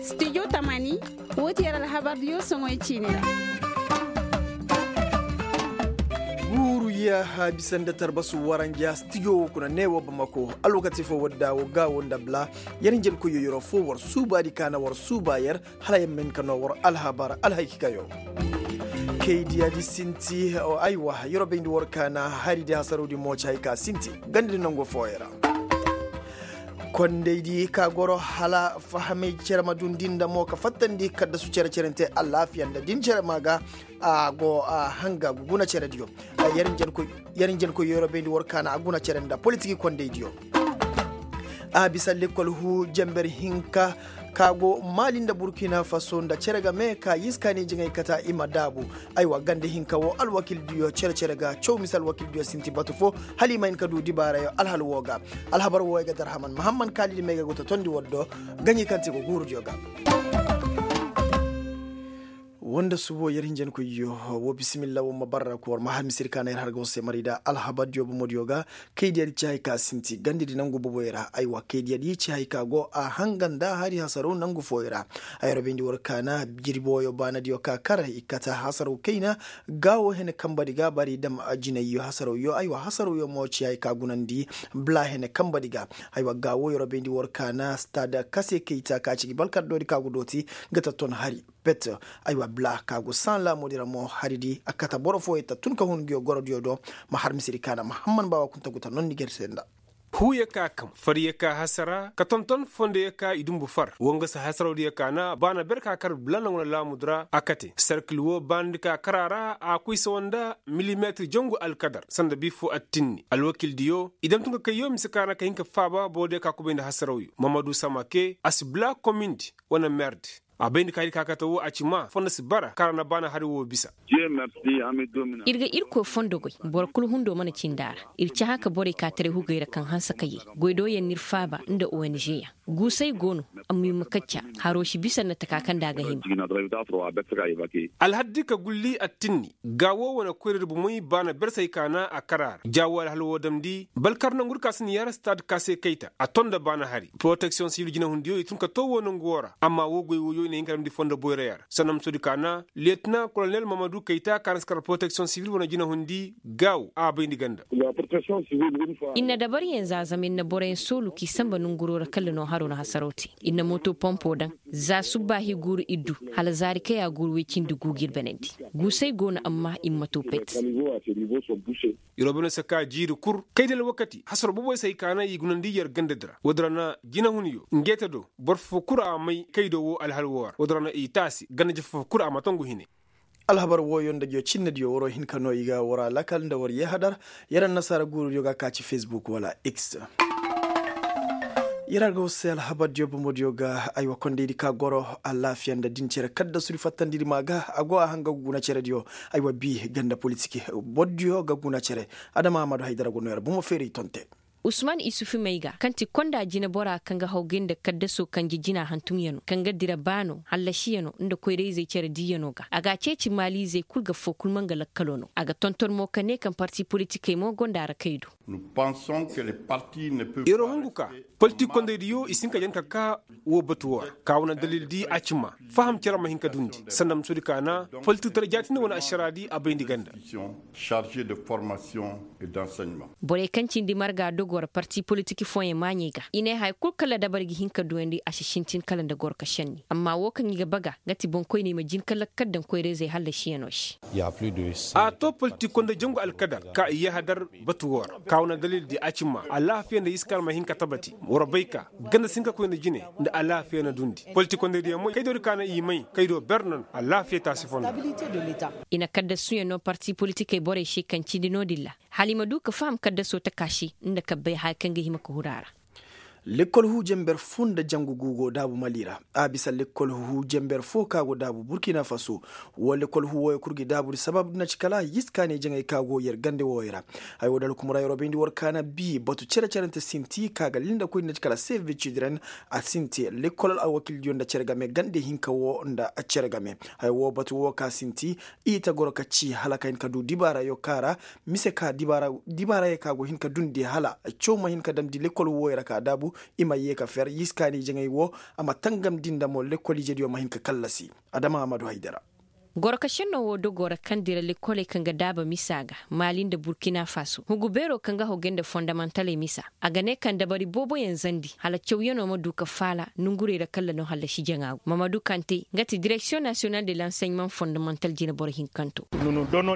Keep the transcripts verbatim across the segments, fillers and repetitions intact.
Studio tamani, wo ti yer alhabardiyo soŋoy ciini ra. Guuru yaaha bisa nda tarbasu waranja stijo wo kuna ne wo bamako. Alwakati fo wadda wo ga wo nda bla. Yer njenkoyyo yeroo fo war suubaadi ka na war suuba yer, hala yer ma hin ka noo war alhabar alhayki kayo. Kaydiyaadi sinti. Aywa, yeroo bayndi war ka na haridi hasarowdi mo ci hay ka sinti gandadi nangu fooyo ra. Kondaydi ka goro hala fahamay cere ma dundi nda mo ka fattandi kaddasu cere-cerente alaafiya nda din cere ma ga. A go a hanga guguna cerediyo. Yer njenkoy yeroo bayndi war ka na a guna cere nda politiki kondaydiyo. A bisa lekkol huu jember hinka ka go maali nda burkina faso nda cere game ka yiskaani jiŋay kata i ma daabu. Aywa gande hinka wo alwakildiyo cere-cere ga caw mise alwakildiyo sinti batu fo, hala i ma hin ka du dibaarayo alhal woo ga. Alhabar wooyo ga darhaman mahamman kaalidi may ga go ta tondi war do. Gaɲi kaŋ ti go guurudiyo ga. Woo nda subo yer hinjankoyyo. Woo bisimilla woo ma barra ka war ma har misir ka na yer har ga war se maray da alhabardiyo bomodiyo ga. Kaydiyadi ci hay ka sinti gandadi nangu boboyo ra aywa kaydiyadi ci hay ka go a hanga nda hari hasaro nangu fooyo ra. Ay ra bayndi war ka na jirbi wooyo baanadiyo ka kar i kate hasaro kayna. Gaawo hene kambadi ga bari dam jinayyo hasaroyo aywa hasaroyo mo ci hay ka gunandi. Bla hene kambadi ga aywa gaawo yer ra bayndi war ka na stade kase kayta ka ci gi balkardoodi ka go dooti. Ga ta ton hari pet. Aywa bla ka go san laamudi ra mo haridi a kate boro fooyo ta tun ka hun nguyo gorodiyo do. Ma har misiri ka na mahamman baawa kunta gu ta nondi ger se nda. Huuyo ka kam faryo ka hasara ka tonton fondoyo ka i dumbu far woo nga si hasarawdiyo ka na baana ber ka kar bla nanguna laamudi ra a kate serkil woo baanadi ka kara ra a koy sawa nda milimetir jangu alkadar sanda bii foo attinni alwakildiyo i dam tun ka kayyo mise ka na ka hin ka faaba borodiyo ka kubay nda hasarawyo mamadu samake a si bla komindi wane merdi. A bay nda ka hay di ka kate woo a ci maa fondo si bara kaŋ ra na baana hari woo bisa. Ir ga irkoy fondo goy boro kul hundo mana cindi a ra. Ir cahã ka borey ka taray hugey ra kaŋ hanse ka yee goy do yaŋ n'ir faaba nda ong yaŋ. Guusay go no. Amma ir ma kacca haroo si bisa nda taka kaŋ nda a ga hima. Alhaddi ka gulli attinni. Gaawo wane koyra di bomey baana bersey ka na a kar a ra ja woo alhal woo damndi balkar nangudi ka si na yar stad ka se kayta a ton nda baana hari poroteksiyoŋ sibil jinahundiyo i tun ka too woo nangu woo ra amma woo goy wooyo i na hin ka damndi fondo boyra yar sanamsodi ka na leetina kolonel mamadu kayta ka na si kar poroteksiyoŋ sibil wane jinahundi. Gaawo a bayndi ganda. Ir na dabaryaŋ zaazam ir na boroyaŋ soolu k'i sanba nanguroo ra kala no haroo na hasaroo te. Ir na moto pompo daŋ za subbaahi guuru ir du hala zaari kay a guuru woy cindi guugu ir banandi. Guusay go no amma ir ma too pet. Iroo bane si ka jiiri kul kay da alwakati hasaroo boboy si hay ka na i gunandi yer gandadi ra woodi ra na jinahunyo ngeeta do boro foo kul a may kay do woo alhal woo ra woodi ra na i taasi ganda je foo kul a ma tongu hine. Alhabar wooyo nda jo cinnediyo waroo hin ka noo i ga waraa lakal nda war yee hadar. Yer annasaara guurudiyo ga ka ci fesbuk wala x. Yer a ga war se alhabardiyo bomodiyo ga aywa kondaydi ka goro alaafiya nda din cere kaddasudi fattandidi maa ga a go a hanga ga guna cerediyo. Aywa bii ganda politik bordiyo ga guna cere. Adama ahmadu haydara go noo yer bomo feeray tonte. Usman isufu may ga kaŋ ti konda jineboraa kaŋ ga hawgay nda kaddasoo kanje jina hantumyanoo kaŋ ga dira baanoo hallashiyanoo nda koyra-izey cere diiyanoo ga a g'a ceeci maaliizey kul ga foo kul ma nga lakkaloo no a ga tonton mo ka nee kaŋ parti politikey mo gonda ra kay do. Iroo hungu ka politik kondaydiyo i si hin ka jan ka kaa woo batu woo ra ka wane dalildi a ci maa faham cere ma hin ka dundi sanda musudi ka na politik tara jaatindi wane ašaraadi a bayndi ganda. Borey kaŋ cindi marga dogo ra parti politik fooyaŋ maaɲey ga i ne haya kul kaŋ ra dabari ga hin ka duyandi a si sintin kala nda goro ka šenni amma woo kaŋ i ga baga nga ti boŋkoyney ma jin ka lakkal daŋ koyra-izey hallasiyanoo se. A too politik konda jangu alkadar ka i yahadar batu woo ra ka wane dalil di a ci maa alaafiya nda iskar ma hin ka tabati war bay ka ganda si hin ka koy nda jine nda alaafiya na dundi politik kondaydiyaŋ moy kay do di ka na i may kay do ber no no alaafiya taasi fondo. I na kaddasuyaŋ no parti politikey borey se kaŋ cindi no-din ra hala i ma du ka faham kaddasoo taka se nda ka bay haya kaŋ ga hima ka huru a ra. Lekkol huu jenber foo nda jangu guugo daabu mali ra. A bisa lekkol huu jenber foo ka go daabu burkina faso. Woo lekkol huu wooyo kul gi daabu di sabab di na ci kala yiskaaney jaŋay ka go yer gande wooyo ra. Haya woo da alkumura yeroo bayndi war kaana bii batu cere-cerente sinti ka ga linda koy di na ci kala save the children. A sinti lekkol alwakildiyo nda cere game gande hinka woo nda cere game. Haya woo batu woo ka sinti i ta goro ka ci hala ka hin ka du dibaarayo ka ra. Mise ka dibaarayo ka go hin ka dundi hala caw ma hin ka damndi lekkol wooyo ra ka daabu. I ma yee ka fer yiskaani jaŋay wo, a ma tangam di nda mo lekkol ijediyo ma hin ka kallasi. Adama amadu haydara. Goro ka šennoo woo dogoo ra kaŋ dira lekkoley kaŋ ga daaba misa ga maali nda burkina faso hugu beeroo kaŋ ga hogay nda fondamantaley misa, a ga ne kaŋ dabari booboyaŋ zandi hala cawyanoo ma du ka faala nongurey ra kalla no hallasi jaŋaagu mamadu kante nga ti direksiyoŋ nasiyonal de lansayman fondamantal jineboro hinkanto.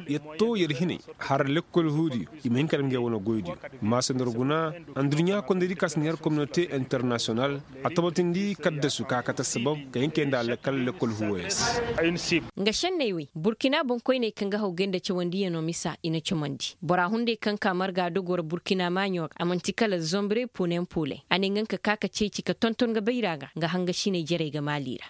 Yer to yer hinay har lekkol huudiyo i ma hin ka daŋ ngey wane goydiyo. Maasa nda war guna, adduɲɲa kondaydi ka si neer kominote internasiyonal a tabatindi kaddasu ka kate sabab ka hin kay nda alkal lekkol huuwoyaŋ se. Nga šenney wey burkina boŋkoyney kaŋ ga hawgay nda cawandiyanoo misa i na camandi bora hunday kaŋ ka marga dogoo ra burkina maaɲo ra a man'ti kala zombre punen pule a ne nga nga ka ka ceeci ka tonton ga bayra ga nga hangasiney jerey ga maali ra.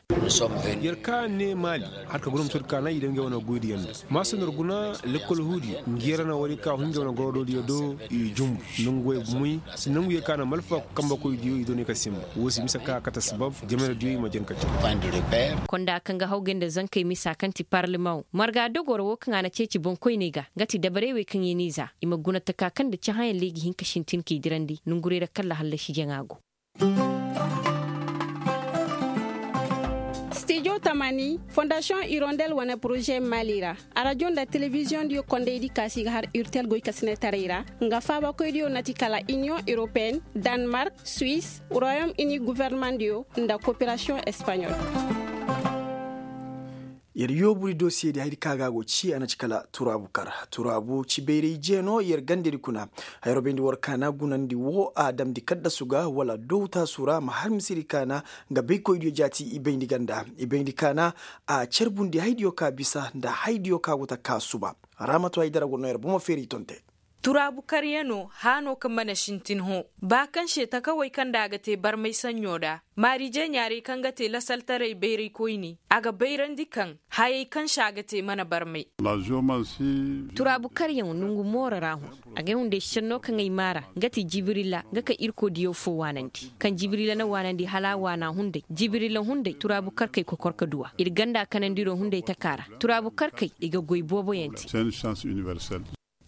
Yer ka ne maali, har ka guna ma soodi ka naŋ i daŋ ngey wane goydiyaŋ do. Maasa nda war guna, lekkol huudiyo ngi yer na war i ka hun ngey wane gorodoodiyo do. I jumbu nangu way bumey, nangu ye ka na malfa kambakoydiyo i doonay ka simba. Woo si mise ka kate sabab jameradiyo i ma jen ka caw. Konda kaŋ ga hawgay nda zankey misa kaŋ ti parlemaŋo marga dogoo ra woo kaŋ a na ceeci boŋkoyney ga nga ti dabarey wey kaŋ i n'i za i ma guna taka kaŋ nda cahãyaŋ leegi hinka sintin k'i dirandi nongurey ra kalla hallasi jaŋa go. Stijo tamani fondasiyoŋ irondel wane poroze maali ra, arajo nda telebiziyoŋdiyo kondaydi kaasi ga har urtel goykasinetaray ra. Nga faabakoydiyo na ti kala iniyoŋ europeen, danmark, suwis, royom ini gofornamaŋdiyo nda koperasiyoŋ espaɲol. Yer yoobudi dosiyedi haydi ka ga a go ci a na ci kala turaabu kar turaabu ci bayray jeeno yer gandedi kuna. Hayro bayndi war kaana gunandi wo a damndi kaddasu ga wala dowtaasu ra ma har misedi kaana. Nga baykoydiyo jaati i bayndi ganda i bayndi kaana. A carbundi haydiyo ka bisa nda haydiyo ka go ta ka suba. Raamatu haydara go no yer bomo feeri tonte. Turaabu karyanoo haanoo kaŋ mana sintin hõ, ba kaŋ se takawey kaŋ nda a ga te barmay saɲɲo nda maariije ɲaarey kaŋ ga te lasaltaray bayraykoyni, a ga bayrandi kaŋ hayey kaŋ se a ga te mana barmay. Turaabu karyaŋo nongu mooro ra hõ. Agay hunday senno kaŋ ay maara nga ti jibirila nga ka irkoy diyaw fo waanandi kaŋ jibirila na waanandi hala a waana hunday jibirila hunday turaabu karkey kokor ka duw'a ir ganda kanandiro hunday taka ra. Turaabu karkey i ga goy booboyaŋ te.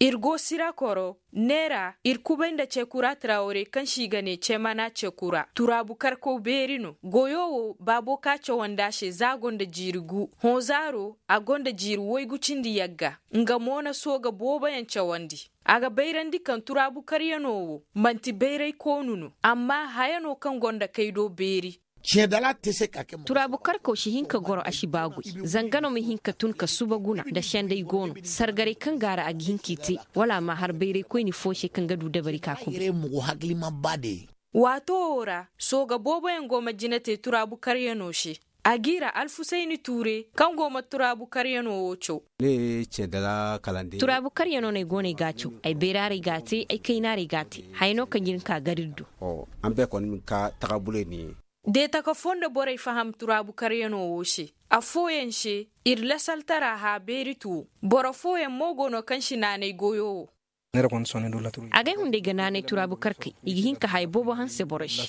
Ir go sirakoro neera ir kubay nda cekura trawre kaŋ se i ga ne cemana cekura turaabu karkaw beeri no goyo wo baabo ka cawandi a se za a gonda jiiri gu hõ zaaro a gonda jiiri waygu cindi yagga. Nga mo na sooga booboyaŋ cawandi. A ga bayrandi kaŋ turaabu karyanoo wo man'ti bayray koonu no amma haya no kaŋ go nda kaydo beeri. Turaabu karkaw si hin ka goro a si baagoy. Zanga no ma hin ka tun ka suba guna nda senday go no sargaray kaŋ gaara a ga hin k'i te wala a ma har bayraykoyni foo se kaŋ ga du dabari ka kuba. Waato woo ra sooga booboyaŋ go ma jina te turaabu karyanoo se. A g'i ra alfusayni tuure kaŋ go ma turaabu karyanoo woo caw. Turaabu karyanoo no ay go no ay g'a caw. Ay beeraaray g'a te ay kaynaarey g'a te. Haya no kaŋ jin ka gar ir do. De taka foo nda borey faham turaabu karyanoo woo se. Affooyaŋ se ir lasaltara hã beeri tuwo. Boro fooyaŋ mo go no kaŋ si naanay goyo woo. Agay hunday ga naanay turaabu karkey i ga hin ka haya boobo hanse boro se.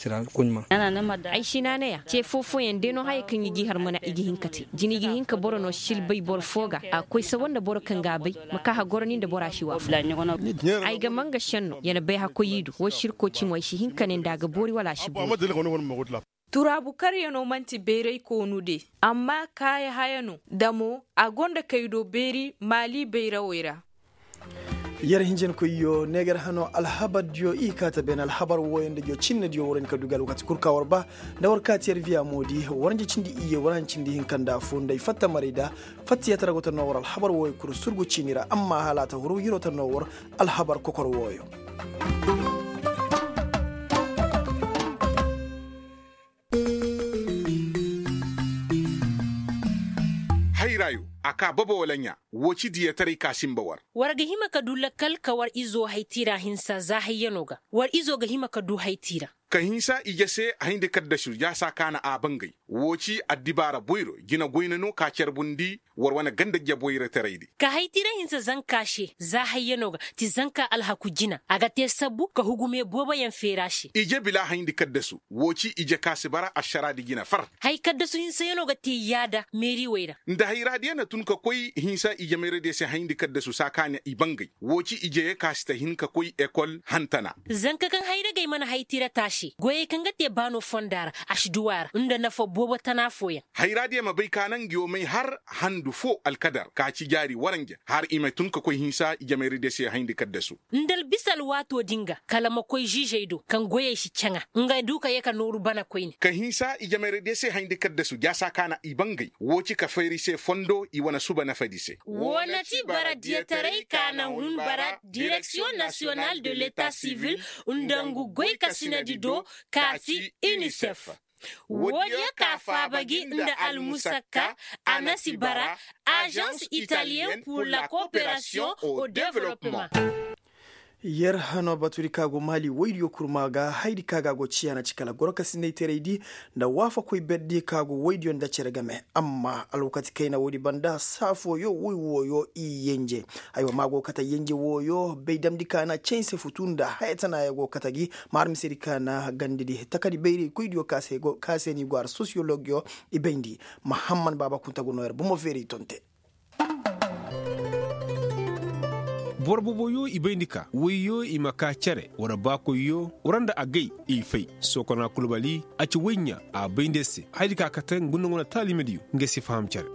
Ay si naanay a ce foo fooyaŋ day no haya kaŋ i g'i har mana i ga hin ka te jina i ga hin ka boro no silbay boro foo ga a koy sabo nda boro kaŋ g'a bay. Ma ka hagoro ni nda bora si waafaku. Ay ga manga senno ya na bay hakkoy i do woo si ir koo ci mo ay si hin ka ne nda a ga boori wala a si boori. Turaabu karyanoo man'ti bayray koonu de. Amma kaaya haya no da mo a go nda kaydo beeri maali bayrawey ra. Yer hinjankoyyo neegar hano alhabardiyo i kaa ta beene alhabar wooyo nda jo cinnediyo war hin ka du ga alwakati kul ka war ba. Nda war kaa ti yer viya moodi war nja cindi iyye war hancindi hinka nda afoo nda ay fatta maray da. Fatta yer ta ra go ta noo war alhabar wooyo kul surgu ciini ra amma hala a ta huru yer wo ta noo war alhabar kokor wooyo. Hayrayo a kaa baba wala ɲaa? Woo ci diyataray ka sinba war. War ga hima ka du lakkal ka war izo haytiira hinsa za hayyanoo ga. War izo ga hima ka du haytiira. Ka hinsa ije se a hayndi kaddasu jaasa kaana a bangay. Woo ci addibaara boyro jina goyna no ka carbundi. War wane ganda jaboyra taray di. Ka haytiira hinsa zanka se za hayyanoo ga ti zanka alhaku jina a ga te sabbu ka hugumee booboyaŋ feeri a se. Ije bila hayndi kaddasu woo ci ije ka si bara ašaraadi jina far. Hay kaddasu hinsayanoo ga te yaada meeriwey ra. Nda hayraadiyo na tun ka koy hinsa ije meeradiyo se hayndi kaddasu saa ka ne i bangay. Woo ci ije ye ka si ta hin ka koy ekol hantana. Zanka kaŋ hayragey mana haytiira taasi. Goyey kaŋ ga te baano fonda ra, a si du a ra nda nafa boobo tana fooyaŋ. Hayra diya ma bay ka naŋ nga yoo may har handu fo alkadar ka ci jaari waranja har i ma tun ka koy hinsa i jamayra diya se hayndi kaddasu. Nda albisa alwaatoo din ga kala ma koy ziizey do kaŋ goyey si caŋa nga du ka yee ka nooru bana koyne. Ka hinsa i jamayra diya se hayndi kaddasu jaasa ka na i bangay woo ci ka fayri se fondo i wane suba nafadi se. Woo na ti bara diyataray ka na hun bara direksiyoŋ nasiyonal de leta sivil nda ngu goykasinadi do, ka si inisef. Woodiyo ka faaba gi nda almusakka, anasi bara, azans italiyen pur la koperasiyoŋ o developman. Yer hano batudi ka go maali woydiyo kurma ga haydi ka ga go ciya na ci kala goro ka sinday teraydi nda waafakoy berdi ka go woydiyo nda cere game. Amma alwakati kayna woodi banda saa fooyo woy wooyo i yenje. Aywa ma go kata yenje wooyo bay damndi ka na caynse futu nda haya tana ya go kata gi. Ma har misedi ka na gandidi takadi bayraykoydiyo ka se ni go har sosiyologyo i bayndi. Mahamman baaba kunta go no yer bomo feeray tonte. Boro boboyo i bayndi ka woyyo i ma ka cere wara baakoyyo wara nda agay i fay. Sokona kulbali a ci woy ɲa a bayndi se haydi ka kate ngundangu na taalimediyo. Nga si faham cere.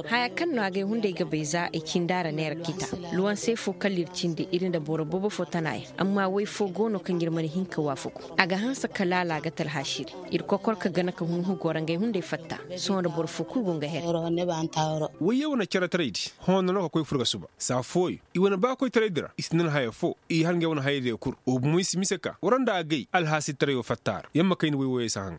Haya kaŋ no agay hunday ga bay za i cindi a ra neera kita. Luwanse fo kala ir cindi ir nda boro boobo fo tana yaŋ amma woy fo go no kaŋ ir mana hin ka waafaku. A ga hanse ka laala ga talhaasiri. Ir kokor ka gana ka hunhu goro ngey hunday fatta. Sohõ nda boro fo kul go nga her. Woyye wane cere taraydi hõ nono ka koy fur ga suba saa fooyo i wane baakoy taraydi ra i si nan haya fo i har ngey wane hayadiyo kul. Wo bomoy si mise ka wara nda agay alhaasi tarayo fatta ra yamma kayna woy wooyey si haŋa.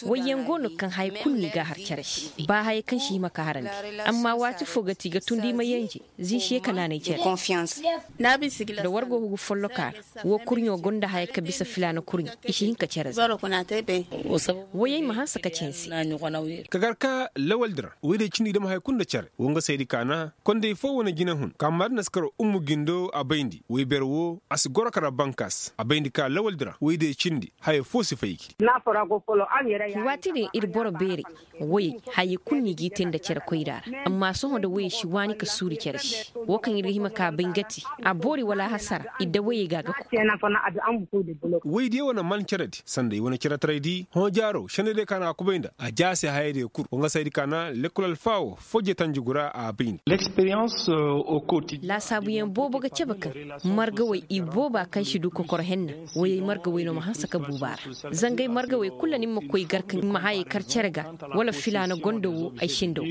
Woyyaŋ go no kaŋ haya kul n'i ga a har cere se ba haya kaŋ si hima ka harandi. Amma waati fo ga ti ga tundi i ma yenje. Zin se ka naanay cere. Da war go hugu folloka ra wo kurɲo gonda haya ka bisa filaana kurɲo i si hin ka cere zin. Woyey ma hanse ka cere se. Ka gar ka lawaldi ra woy day cindi i dam haya kul nda cere wo nga saydi ka na kondey fo wane jinahun ka maadi na si karo ummu gindo a bayndi woy ber wo a si goro ka ra bankas a bayndi ka lawaldi ra woy day cindi haya fo si fay gi. Waati din ir boro beerey woyey hayey kul no i g'i te nda cere koyra ra. Amma sohõ nda woyey si waani ka suuri cere se wo kaŋ ir ga hima ka bay nga ti a boori wala hasara idda woyey ga a ga koy. Woydiyo wane man ceredi sanda i wane ceretaraydi hõ jaaro sendediyo ka na a kubay nda a jaase hayadiyo kul wo nga saydi ka na lekkol alfaawo fojje tanjugu ra a bay nda. Laasaabuyaŋ boobo ga cabe kaŋ margawey i booba kaŋ si du kokor henna. Woyey margawey no ma hanse ka buuba ra. Zangay margawey kulu ni ma koy gar ka ni ma hayey kar cere ga wala filaana gondo wo ay sinda wo.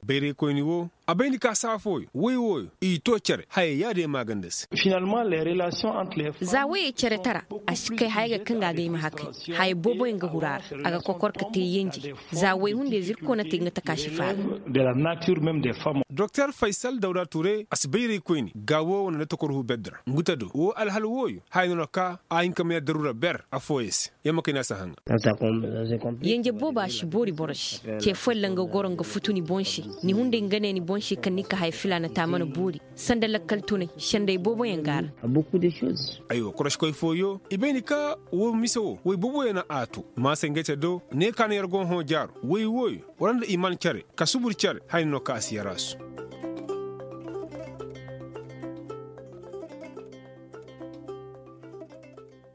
Bayraykoyni wo a bay ni ka saa fooyo woy wooyo i to cere hayey yaadin maaganda se. Za woyey cere tara a si kay haya ga kaŋ ga a ga ay ma hakay. Haya booboyaŋ ga huru a ra a ga kokor ka te yenje. Za woy hunday zirko na te nga taka si faara. Doktor faysal dawda ture a si bayraykoyni ga wo wane na tokor hu berdi ra ngu ta do wo alhal wooyo haya no na ka a hin ka may a daruura ber affooyaŋ se. Yamma kay no a si a haŋa. Yenje boobo a si boori boro se. Ce folla nga goro nga futu ni boŋ se. Ni hunday nga ne ni boŋ se kaŋ ni ka haya filaana ta mana boori. Sanda lakkal tunay sendey booboyaŋ ga a ra. Aywa koroskoy fooyo i bay ni ka wo mise wo woy booboyaŋ na a to maasay ngey te do ne ka na yer go hõ jaaro woy wooyo wara nda i man care ka subur care haya no ka a si yer a su.